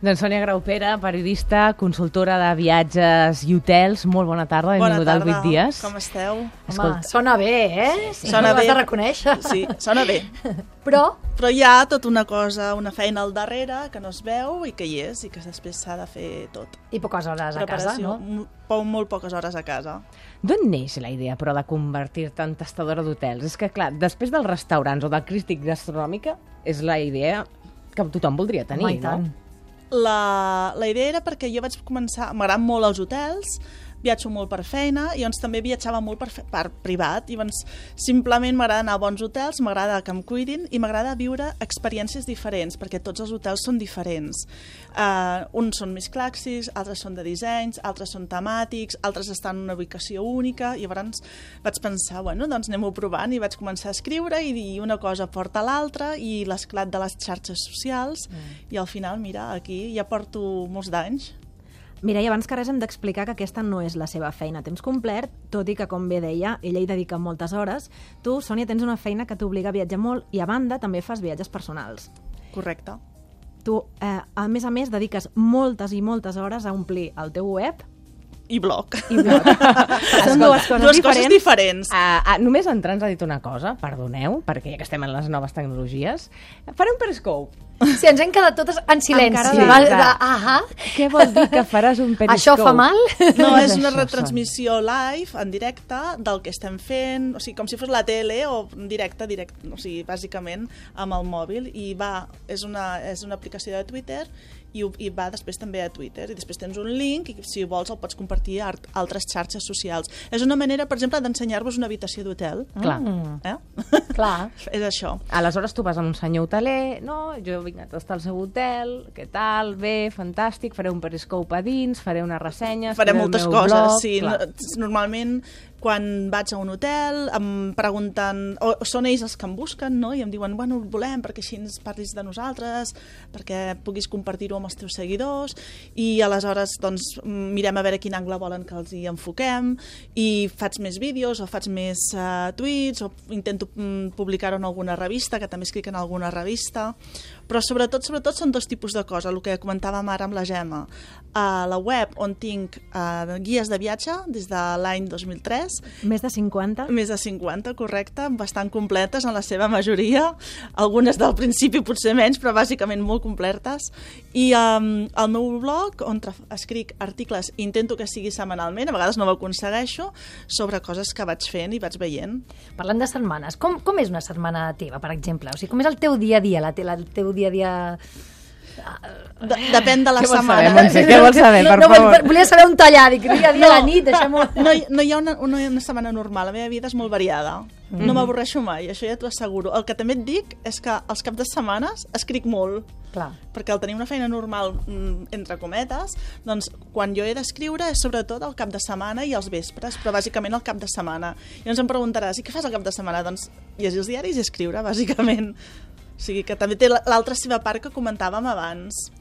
Doncs Sònia Graupera, periodista, consultora de viatges i hotels. Molt bona tarda, benvinguda al 8 dies. Com esteu? Home, sona bé, Sí, sona bé. Ho has de reconèixer. Sí, sona bé. Però hi ha tota una cosa, una feina al darrere que no es veu i que hi és i que després s'ha de fer tot. I poques hores a casa, no? Molt poques hores a casa. D'on neix la idea, però, de convertir-te en tastadora d'hotels? És que, clar, després dels restaurants o de la crítica gastronòmica, és la idea que tothom voldria tenir, Home, i tant. no? La idea era perquè jo vaig començar... M'agraden molt els hotels, viatjo molt per feina i llavors també viatjava molt per privat i llavors simplement m'agrada anar a bons hotels, m'agrada que em cuidin i m'agrada viure experiències diferents perquè tots els hotels són diferents. Uns són més clàssics, altres són de dissenys, altres són temàtics, altres estan en una ubicació única i llavors vaig pensar, bueno, doncs anem-ho provant i vaig començar a escriure i dir una cosa porta a l'altra i l'esclat de les xarxes socials i al final, mira, aquí ja porto molts d'anys. Mira, i abans que res hem d'explicar que aquesta no és la seva feina a temps complet, tot i que, com bé deia, ella hi dedica moltes hores. Tu, Sònia, tens una feina que t'obliga a viatjar molt i, a banda, també fas viatges personals. Correcte. Tu, a més, dediques moltes i moltes hores a omplir el teu web i blog. Són dues coses diferents. Només entrar ens ha dit una cosa, perdoneu, perquè ja que estem en les noves tecnologies, faré un Periscope. Sí, ens hem quedat totes en silenci. Què vol dir que faràs un Periscope? Això fa mal? No, és una retransmissió live, en directe, del que estem fent, o sigui, com si fos la tele o directe, o sigui, bàsicament amb el mòbil, i és una aplicació de Twitter i va després també a Twitter, i després tens un link i si vols el pots compartir a altres xarxes socials. És una manera, per exemple, d'ensenyar-vos una habitació d'hotel. Clar. Clar. És això. Aleshores tu vas amb un senyor hoteler, no? Jo vinc a tastar el seu hotel, què tal, bé, fantàstic, faré un Periscope a dins, faré una ressenya, faré moltes coses, blog, sí. Normalment quan vaig a un hotel em pregunten, o són ells els que em busquen, no? I em diuen, bueno, volem perquè així ens parlis de nosaltres, perquè puguis compartir-ho amb els teus seguidors, i aleshores doncs mirem a veure quin angle volen que els hi enfoquem, i faig més vídeos o faig més tuits, o intento publicar-ho en alguna revista, que també escric en alguna revista, però sobretot són dos tipus de coses, el que comentàvem ara amb la Gemma. A la web on tinc guies de viatge des de l'any 2003. Més de 50? Més de 50, correcte, bastant completes en la seva majoria, algunes del principi potser menys, però bàsicament molt completes. I el meu blog, on escric articles, intento que sigui setmanalment, a vegades no ho aconsegueixo, sobre coses que vaig fent i vaig veient. Parlant de setmanes, com és una setmana teva, per exemple? O sigui, com és el teu dia a dia, el teu dia a dia... Depèn de la setmana. Què vols saber, per favor? Volia saber un tallar, dic, dia a dia, la nit, deixem-ho... No hi ha una setmana normal, la meva vida és molt variada. No m'avorreixo mai, això ja t'ho asseguro. El que també et dic és que als caps de setmanes escric molt. Clar. Perquè al tenir una feina normal, entre cometes, doncs quan jo he d'escriure és sobretot al cap de setmana i als vespres, però bàsicament al cap de setmana. I llavors em preguntaràs, i què fas al cap de setmana? Doncs llegir els diaris i escriure, bàsicament. O sigui que també té l'altra seva part que comentàvem abans.